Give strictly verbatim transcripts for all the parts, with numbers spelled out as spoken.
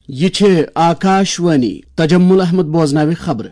یہِ چھِ آکاشوانی۔ تجمل احمد بوزناوِ خبرٕ۔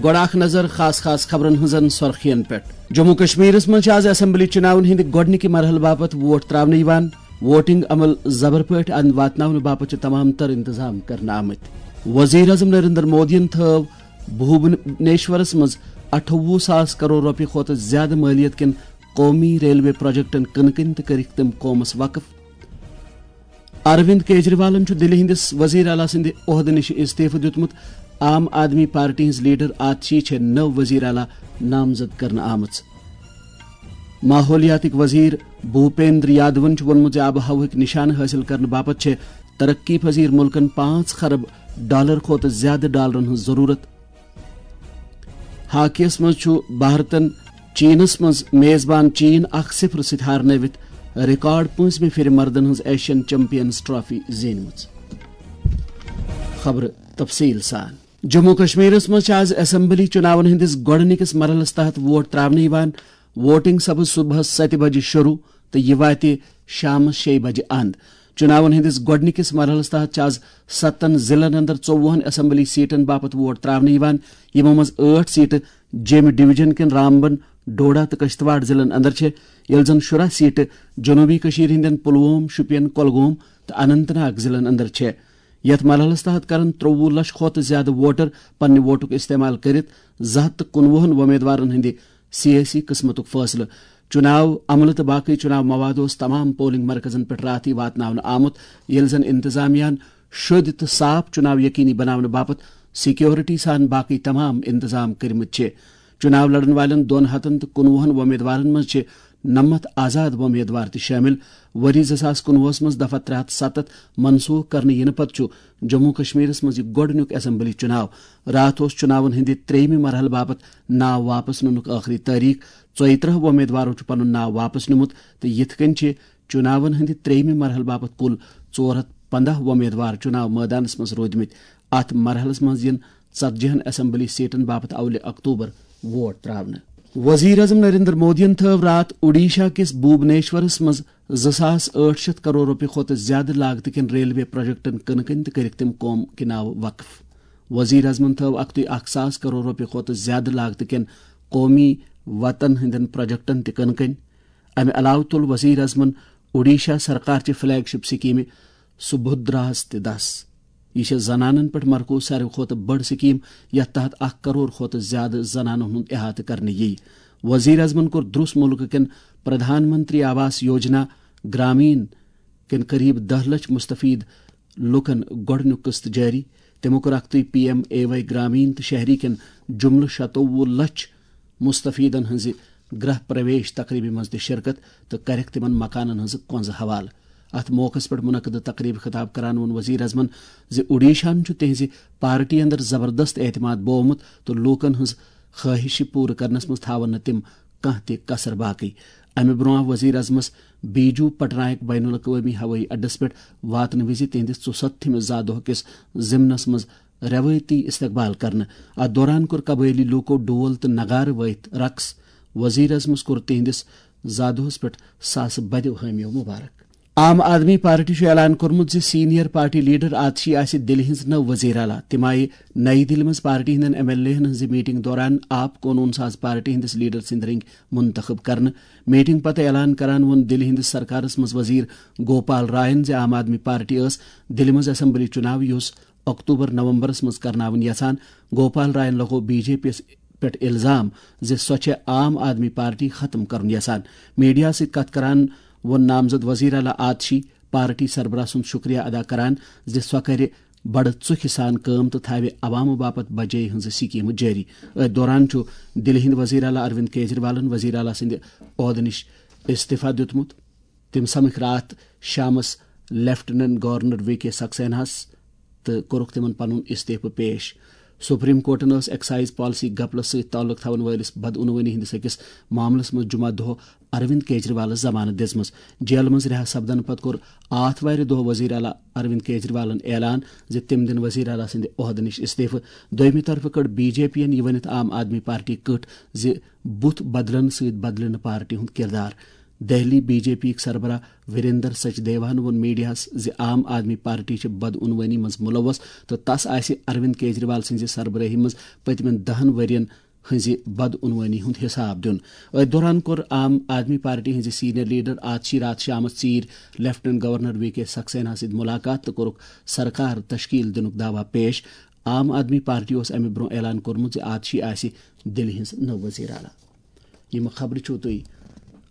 گۄڈٕ اکھ نظر خاص خاص خبرن ہٕنٛزن سۄرخین پٮ۪ٹھ۔ جموں کشمیرس منٛز چھِ آز اسمبلی چُناون ہٕنٛدِ گۄڈٕنِکہِ مرحلہٕ باپتھ ووٹ تراونہٕ یِوان۔ ووٹنگ عمل زبر پٲٹھۍ اند واتناونہٕ باپتھ چھِ تمام تر انتظام کرنہٕ آمٕتۍ۔ وزیر اعظم نریندر مودیَن تھٲو بھوبنیشورس منٛز اَٹھووُہ ساس کرور رۄپیہِ کھۄتہٕ زیادٕ مٲلیت کٮ۪ن قومی ریلوے پروجیکٹن کٕنہٕ کٕنۍ تہٕ کٔرِکھ تِم قومس وقف۔ اروند کیجریوالن چھُ دِلہِ ہٕنٛدِس وزیر اعلیٰ سٕنٛدِ عہدٕ نِش استعفہٕ دیُتمُت۔ عام آدمی پارٹی ہٕنٛز لیڈر آتشی چھےٚ نٔو وزیر اعلیٰ نامزد کرنہٕ آمٕژ۔ ماحولیاتٕکۍ وزیر بھوپیندر یادون چھُ ووٚنمُت زِ آب و ہوہٕکۍ نشانہٕ حٲصِل کرنہٕ باپتھ چھےٚ ترقی پذیر مُلکن پانٛژھ خرب ڈالر کھۄتہٕ زیادٕ ڈالرن ہٕنٛز ضروٗرت۔ ہاکیَس منٛز چھُ بھارتن چینس منٛز میزبان چین اکھ صفر سۭتۍ ہارنٲوِتھ ریکارڈ پٲنٛژمہِ پھِرِ مردن ہٕنٛز ایشین چیمپئنز ٹرافی زیٖنمٕژ۔ خبرٕ تفصیٖل سان۔ جموں کشمیرس منٛز چھِ آز اسمبلی چُناون ہٕنٛدِس گۄڈٕنِکِس مرحلس تحت ووٹ تراونہٕ یِوان۔ ووٹنگ سپٕز صبحس ستہِ بجہِ شروع تہٕ یہِ واتہِ شامس شیٚیہِ بجہِ اند۔ چُناون ہٕنٛدِس گۄڈٕنِکِس مرحلس تحت چھِ آز ستن ضلعن اندر ژوٚوُہن اسمبلی سیٹن باپتھ ووٹ تراونہٕ یِوان، یِمو منٛز ٲٹھ سیٹہٕ جیٚمہِ ڈویژن کٮ۪ن رامبن، ڈوڈا تہٕ کشتواڑ ضلعن اندر چھےٚ، ییٚلہِ زن شُراہ سیٹہٕ جنوبی کٔشیٖر ہٕنٛدٮ۪ن پلووم، شوپین، کۄلگوم تہٕ اننت ناگ ضلعن اندر چھےٚ۔ یتھ مرحلس تحت کرن ترٛوٚوُہ لچھ کھۄتہٕ زیادٕ ووٹر پننہِ ووٹُک استعمال کٔرِتھ زٕ ہتھ تہٕ کُنوُہن وۄمیدوارن ہٕنٛدِ سیٲسی قٕسمتُک فٲصلہٕ۔ چُناو عملہٕ تہٕ باقٕے چُناو مواد اوس تمام پولنگ مرکزن پٮ۪ٹھ راتھٕے واتناونہٕ آمُت، ییٚلہِ زن انتظامیہ ہن شوٚدۍ تہٕ صاف چُناو یقینی بناونہٕ باپتھ سیکورٹی سان باقٕے تمام انتظام کٔرمٕتۍ چھِ۔ چُناو لڑن والٮ۪ن دۄن ہتن تہٕ کُنوُہن وۄمیدوارن منٛز چھِ نَمَتھ آزاد وۄمیدوار تہِ شٲمِل۔ ؤری زٕ ساس کُنوُہس منٛز دفعہ ترٛےٚ ہتھ ستتھ منسوخ کرنہٕ یِنہٕ پتہٕ چھُ جموں کشمیرس منٛز یہِ گۄڈٕنیُک اسمبلی چُناو۔ راتھ اوس چُناون ہٕنٛدِ ترٛیٚیمہِ مرحلہٕ باپتھ ناو واپس نِنُک ٲخری تٲریخ۔ ژۄیہِ ترٕٛہ وۄمیدوارو چھُ پنُن ناو واپس نیُمُت تہٕ یِتھ کٔنۍ چھِ چُناون ہٕنٛدِ ترٛیٚیمہِ مرحلہٕ باپتھ کُل ژور ہتھ پنٛداہ وۄمیدوار چُناو مٲدانس منٛز روٗدمٕتۍ۔ اتھ مرحلس منٛز یِن ژتجی ہن اسمبلی سیٹن باپتھ اولہِ اکتوبر ووٹ تراونہٕ۔ وزیر اعظم نریندر مودیَن تھٲو راتھ اوڈیشہ کِس بھوبنیشورس منٛز زٕ ساس ٲٹھ شیٚتھ کرور رۄپیہِ کھۄتہٕ زیادٕ لاگتہٕ کٮ۪ن ریلوے پروجیکٹن کٕنہٕ کٕنۍ تہٕ کٔرِکھ تِم قوم کہِ ناوٕ وقف۔ وزیر اعظمن تھٲو اکھتُے اکھ ساس کرور رۄپیہِ کھۄتہٕ زیادٕ لاگتہٕ کٮ۪ن قومی وتن ہٕنٛدٮ۪ن پروجیکٹن تہِ کٕنہٕ کٕنۍ۔ امہِ علاوٕ تُل وزیر اعظمن اوڈیشہ سرکار چہِ فلیگ شپ سکیمہِ سبھدراہس تہِ دس۔ یہِ چھےٚ زنانن پٮ۪ٹھ مرکوز ساروی کھۄتہٕ بٔڑ سکیٖم، یتھ تحت اکھ کرور کھۄتہٕ زیادٕ زنانن ہُنٛد احاطہٕ کرنہٕ یِیہِ۔ وزیر اعظمن کوٚر دروس مُلکہٕ کٮ۪ن پردھان منتری آواس یوجنا گرامین کٮ۪ن قریب دہ لچھ مستفید لوٗکن گۄڈٕنیُک قسط جٲری۔ تِمو کوٚر اکھتُے پی ایم اے واے گرامین تہٕ شہری کٮ۪ن جملہٕ شتوُہ لچھ مستفیدن ہٕنٛزِ گرہ پرویش تقریبہِ منٛز تہِ شرکت تہٕ کرٮ۪کھ تِمن مکانن ہٕنٛزٕ کۄنٛزٕ حوالہٕ۔ اتھ موقعس پٮ۪ٹھ منعقدٕ تقریبہِ خطاب کران ووٚن وزیر اعظمن زِ اوڈیشاہن چھُ تِہنٛزِ پارٹی اندر زبردست اعتماد بوومُت تہٕ لوٗکن ہٕنٛز خٲہشہِ پوٗرٕ کرنس منٛز تھاون نہٕ تِم کانٛہہ تہِ کسر باقی۔ امہِ برونٛہہ آو وزیر اعظمس بیجو پٹنایک بین الاقوٲمی ہوٲیی اڈس پٮ۪ٹھ واتنہٕ وِزِ تِہنٛدِس ژُستتھمِس زادوہ کِس ضمنس منٛز روٲیتی استقبال کرنہٕ۔ اتھ دوران کوٚر قبٲیلی لوٗکو ڈول تہٕ نغارٕ وٲیِتھ رقص۔ وزیر اعظمس کوٚر تِہنٛدِس زادوہس پٮ۪ٹھ ساسہٕ بدیو حٲمیو مبارک۔ عام آدمی پارٹی چھُ اعلان کوٚرمُت زِ سینئر پارٹی لیڈر آتشی آسہِ دِلہِ ہٕنٛز نٔو وزیر اعلیٰ۔ تِم آیہِ نئی دِلہِ منٛز پارٹی ہٕنٛدٮ۪ن ایم ایل اے ہن ہٕنٛزِ میٹنگ دوران آپ قونوٗن ساز پارٹی ہٕنٛدِس لیڈر سٕنٛدِ رٔنگۍ منتخب کرنہٕ۔ میٹنگ پتہٕ اعلان کران ووٚن دِلہِ ہٕنٛدِس سرکارس منٛز وزیر گوپال راین زِ عام آدمی پارٹی ٲس دِلہِ منٛز اسمبلی چُناو، یُس اکتوبر نومبرس منٛز کرناوٕنۍ یژھان۔ گوپال راین لگوو بی جے پی یس پٮ۪ٹھ الزام زِ سۄ چھےٚ عام آدمی پارٹی ختم کرُن یژھان۔ میڈیا سۭتۍ کتھ کران ووٚن نامزد وزیر اعلیٰ آتشی پارٹی سربراہ سُنٛد شکریہ ادا کران زِ سۄ کرِ بڑٕ ژُکھِ سان کٲم تہٕ تھاوِ عوامہٕ باپتھ بجے ہٕنٛزٕ سکیمہٕ جٲری۔ أتھۍ دوران چھُ دِلہِ ہٕنٛدۍ وزیر اعلیٰ اروند کیجریوالن وزیر اعلیٰ سٕنٛدِ عہدٕ نِش استعفیٰ دیُتمُت۔ تِم سمکھۍ راتھ شامس لیفٹیننٹ گورنر وی کے سکسیناہس تہٕ کوٚرُکھ تِمن پنُن استعفہٕ پیش۔ سپریم کورٹن ٲس ایکسائز پالیسی گپلس سۭتۍ تعلق تھاون وٲلِس بدعنوٲنی ہٕنٛدِس أکِس معاملس منٛز جمعہ دۄہ اروند کیجریوالس ضمانت دِژمٕژ۔ جیلہٕ منٛز رہا سپدنہٕ پتہٕ کوٚر آتھوارِ دۄہ وزیر اعلیٰ اروند کیجریوالن اعلان زِ تِم دِن وزیر اعلیٰ سٕنٛدِ عہدٕ نِش استعفہٕ۔ دوٚیمہِ طرفہٕ کٔڈ بی جے پی ین یہِ ؤنِتھ عام آدمی پارٹی کٔٹھ زِ بُتھ بدلنہٕ سۭتۍ بدلہِ نہٕ پارٹی ہُنٛد کردار۔ دہلی بی جے پی یِک سربراہ وریندر سچدیواہن ووٚن میڈیاہس زِ عام آدمی پارٹی چھِ بدعنوٲنی منٛز ملوث تہٕ تس آسہِ اروند کیجریوال سٕنٛزِ سربرٲہی منٛز پٔتمٮ۪ن دہن ؤرین ہٕنٛزِ بدعنوٲنی ہُنٛد حساب دیُن۔ أتھۍ دوران کوٚر عام آدمی پارٹی ہٕنٛزِ سینئر لیڈر آتشی راتھ شامس ژیٖرۍ لیفٹیننٹ گورنر وی کے سکسیناہس سۭتۍ ملاقات تہٕ کوٚرُکھ سرکار تشکیل دِنُک دعویٰ پیش۔ عام آدمی پارٹی اوس امہِ برونٛہہ اعلان کوٚرمُت زِ آتشی آسہِ دِلہِ ہٕنٛز نٔو وزیر اعلیٰ۔ یِم خبرٕ چھِو تُہۍ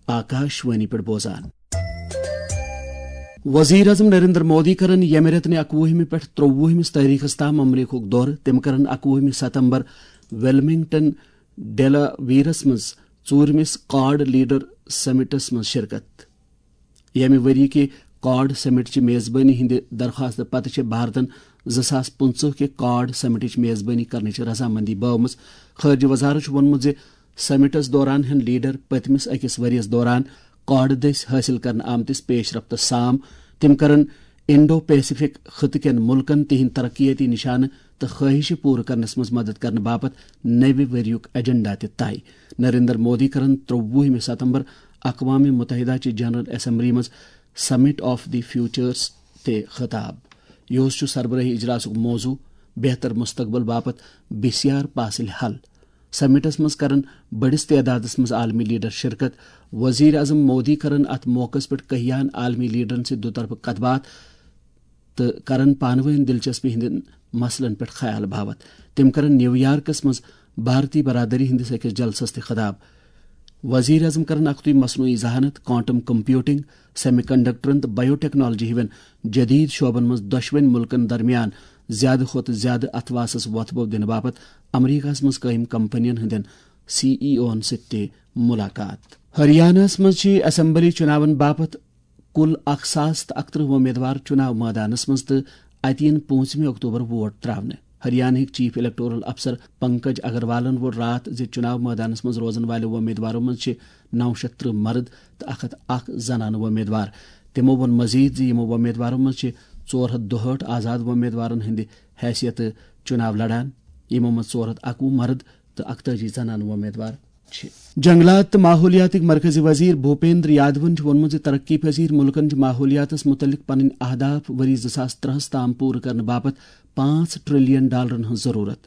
آکاش وانی پٮ۪ٹھ بوزان۔ وزیر اعظم نریندر مودی کرن ییٚمہِ رٮ۪تہٕ اکوُہمہِ پٮ۪ٹھ ترٛووُہمِس تٲریخس تام امریکہُک دورٕ۔ تِم کرن اکوُہمہِ ستمبر ویلمنگٹن ڈیلاویرس منٛز ژوٗرمِس کواڈ لیڈر سمٹس منٛز شرکت۔ ییٚمہِ ؤری کہِ کواڈ سمٹ چہِ میزبٲنی ہٕنٛدِ درخواستہٕ پتہٕ چھِ بھارتن زٕ ساس پٕنٛژٕہ کہِ کواڈ سمٹٕچ میزبٲنی کرنٕچ رضامندی بٲومٕژ۔ خارجہ وزارت چھُ ووٚنمُت زِ سمٹس دوران ہٮ۪ن لیڈر پٔتمِس أکِس ؤرِیَس دوران کواڈ دٔسۍ حٲصِل کرنہٕ آمتِس پیش رفتس سام۔ تِم کرن انڈو پیسیفک خطہٕ کٮ۪ن مُلکن تِہنٛدۍ ترقیٲتی نشانہٕ تہٕ خواہشہٕ پوٗرٕ کرنس منٛز مدد کرنہٕ باپتھ نوِ ؤریُک ایجنڈا تہِ طے۔ نریندر مودی کرن ترٛووُہمہِ ستمبر اقوام متحدہ چہِ جنرل اسمبلی منٛز سمٹ آف دی فیوچرس تہِ خطاب۔ یِہُس چھُ سربرٲہی اجلاسُک موضوع، بہتر مستقبل باپتھ بسیار پاسٕلۍ حل۔ سمٹس منٛز کرن بٔڑِس تعدادس منٛز عالمی لیڈر شرکت۔ وزیر اعظم مودی کرن اتھ موقعس پٮ۪ٹھ کہیان عالمی لیڈرن سۭتۍ دُطرفہٕ کتھ باتھ تہٕ کرن پانہٕ وٲنۍ دلچسپی ہٕنٛدٮ۪ن مسلن پٮ۪ٹھ خیال باوتھ۔ تِم کرن نیویارکس منٛز بھارتی برادری ہٕنٛدِس أکِس جلسس تہِ خطاب۔ وزیر اعظم کرن اکھتُے مصنوعی ذہانت، کوانٹم کمپیوٹنگ، سیمی کنڈکٹرن تہٕ بایو ٹیکنالوجی ہِوٮ۪ن جدید شعبن منٛز دۄشوٕنۍ مُلکن درمیان زیادٕ کھۄتہٕ زیادٕ اتھواسس وۄتھٕ بو دِنہٕ باپتھ امریکہس منٛز قٲیِم کمپنین ہٕنٛدٮ۪ن سی ای اوہن سۭتۍ تہِ ملاقات۔ ہریاناہس منٛز چھِ اسمبلی چُناون باپتھ کُل اکھ ساس تہٕ اکترٕہ وۄمیدوار چُناو مٲدانس منٛز تہٕ اتہِ یِن پوٗنٛژمہِ اکتوبر ووٹ تراونہٕ۔ ہریانہٕکۍ چیف الیکٹورل افسر پنکج اگروالن ووٚن راتھ زِ چُناو مٲدانس منٛز روزن والٮ۪و وۄمیدوارو منٛز چھِ نو شیٚتھ ترٕٛہ مرد تہٕ اکھ ہتھ اکھ زنانہٕ وۄمیدوار۔ تِمو ووٚن مزید زِ یِمو وۄمیدوارو منٛز چھِ ژور ہتھ دُہٲٹھ آزاد وۄمیدوارن ہٕنٛدِ حیثیتہٕ چُناو لڑان، یِمو منٛز ژور ہتھ اکوُہ مرد تہٕ اکتٲجی زنانہٕ وۄمیدوار چھِ۔ جنگلات تہٕ ماحولیاتٕکۍ مرکزی وزیر بھوپیندر یادون چھُ ووٚنمُت زِ ترقی پذیر مُلکن چھِ ماحولیاتس مُتعلق پنٕنۍ اہداف ؤری زٕ ساس ترٛہس تام پوٗرٕ کرنہٕ باپتھ پانٛژھ ٹریلین ڈالرن ہٕنٛز ضروٗرت۔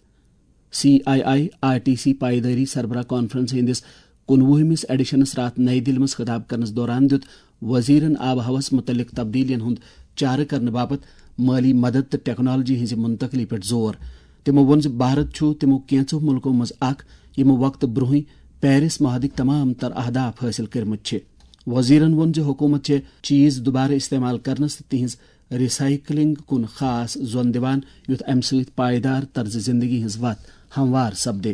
C I I R T C پائیدٲری سربراہ کانفرنس ہٕنٛدِس کُنوُہمِس ایڈیشنس راتھ نئی دِلہِ منٛز خطاب کرنس دوران دیُت وزیرن آب و ہوس مُتعلق تبدیلیَن ہُنٛد چارٕ کرنہٕ باپتھ مٲلی مدد تہٕ ٹیکنالوجی ہٕنٛزِ منتقلی پٮ۪ٹھ زور۔ تِمو ووٚن زِ بھارت چھُ تِمو کینٛژو مُلکو منٛز اکھ یِمو وقتہٕ برونٛہٕے پیرس معاہدٕکۍ تمام تر اہداف حٲصِل کٔرمٕتۍ چھِ۔ وزیرن ووٚن زِ حکوٗمت چھےٚ چیز دوبارٕ استعمال کرنس تہٕ تِہنٛز ری سائیکلنگ کُن خاص زون دِوان، یُتھ امہِ سۭتۍ پائیدار طرز زندگی ہٕنٛز وتھ ہموار سپدِ۔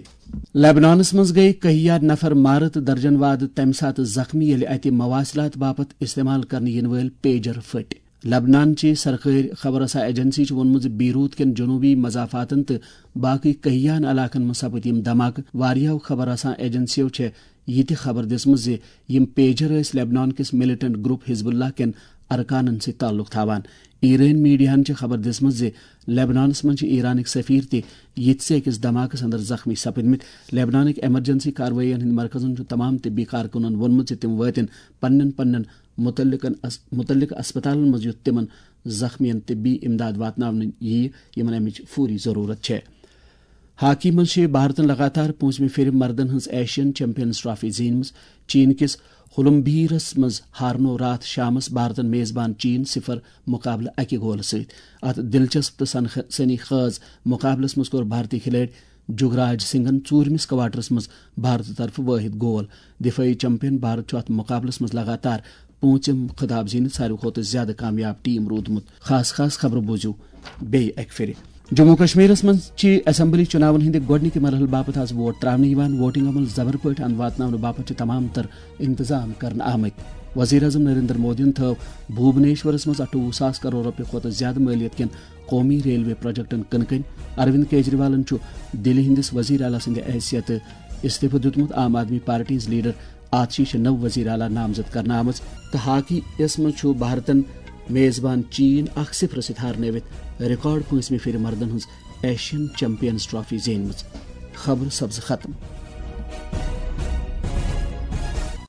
لبنانس منٛز گٔیہِ کہیا نفر مارٕ تہٕ درجن واد تمہِ ساتہٕ زخمی، ییٚلہِ اتہِ مواصلات باپتھ استعمال کرنہٕ یِنہٕ وٲلۍ پیجر پھٔٹۍ۔ لبنان چہِ سرکٲرۍ خبر رساں ایجنسی چھُ ووٚنمُت زِ بیروت کٮ۪ن جنوبی مضافاتن تہٕ باقٕے کہیاہن علاقن منٛز سپٕدۍ یِم دھماکہٕ۔ واریاہو خبر رساں ایجنسیو چھےٚ یہِ تہِ خبر دِژمٕژ زِ یِم پیجر ٲسۍ لبنان کِس ملیٹنٹ گروپ حزب اللہ کٮ۪ن ارکانن سۭتۍ تعلق تھاوان۔ ایرٲنۍ میڈیاہن چھِ خبر دِژمٕژ زِ لبنانس منٛز چھِ ایرانٕکۍ سفیر تہِ یِتھۍ أکِس دھماکس اندر زخمی سپٕدمٕتۍ۔ لبنانٕکۍ ایمرجنسی کاروٲیین ہٕنٛدۍ مرکزن چھُ تمام طبی کارکُنن ووٚنمُت زِ تِم وٲتِن پننٮ۪ن پننٮ۪ن متعلقن اس-، متعلقہٕ اسپتالن منٛز، یُتھ تِمن زخمیَن طبی امداد واتناونہٕ یِیہِ، یِمن امِچ فوری ضروٗرت چھےٚ۔ ہاکی منٛز چھِ بھارتن لگاتار پوٗنٛژمہِ پھِرِ مردن ہٕنٛز ایشین چیمپئنز ٹرافی زیٖنمٕژ۔ چین کِس ہولمبیرس منٛز ہارنوو راتھ شامس بھارتن میزبان چین صفر مقابلہٕ اکہِ گولہٕ سۭتۍ۔ اتھ دلچسپ تہٕ سنخ-، سنی خیز مقابلس منٛز کوٚر بھارتی کھلٲڑۍ جگراج سنگھن ژوٗرمِس کوارٹرس منٛز بھارتہٕ طرفہٕ وٲحد گول۔ دفٲعی چیمپئن بھارت چھُ اتھ مقابلس منٛز لگاتار پوٗنٛژِم خطاب زیٖنِتھ ساروی کھۄتہٕ زیادٕ کامیاب ٹیم روٗدمُت۔ خاص خاص خبرٕ بوٗزِو بیٚیہِ اکہِ پھِرِ۔ جموں و کشمیرس منٛز چھِ اسمبلی چُناون ہٕنٛدِ گۄڈٕنِکہِ مرحلہٕ باپتھ آز ووٹ ترٛاونہٕ یِوان۔ ووٹنگ عمل زبر پٲٹھۍ اَنہٕ واتناونہٕ باپتھ چھِ تمام تر انتظام کرنہٕ آمٕتۍ۔ وزیر اعظم نریندر مودیَن تھٲو بھوبنیشورس منٛز اَٹھووُہ ساس کرور رۄپیہِ کھۄتہٕ زیادٕ مٲلیت کٮ۪ن قومی ریلوے پروجیکٹن کٕنہٕ کٔنۍ۔ اروند کیجریوالن چھُ دِلہِ ہٕنٛدِس وزیر اعلیٰ سٕنٛدِ حیثیتہٕ استعفہٕ دیُتمُت۔ عام آدمی پارٹی ہٕنٛز لیڈر آتشی چھِ نٔو وزیر اعلیٰ نامزد کرنہٕ آمٕژ تہٕ ہاکی یَس منٛز چھُ بھارتن میزبان چین اکھ صفر سۭتۍ ہارنٲوِتھ ریکارڈ پٲنٛژمہِ پھِرِ مردن ہٕنٛز ایشین چیمپینز ٹرافی زیٖنمٕژ۔ خبر سبز ختم۔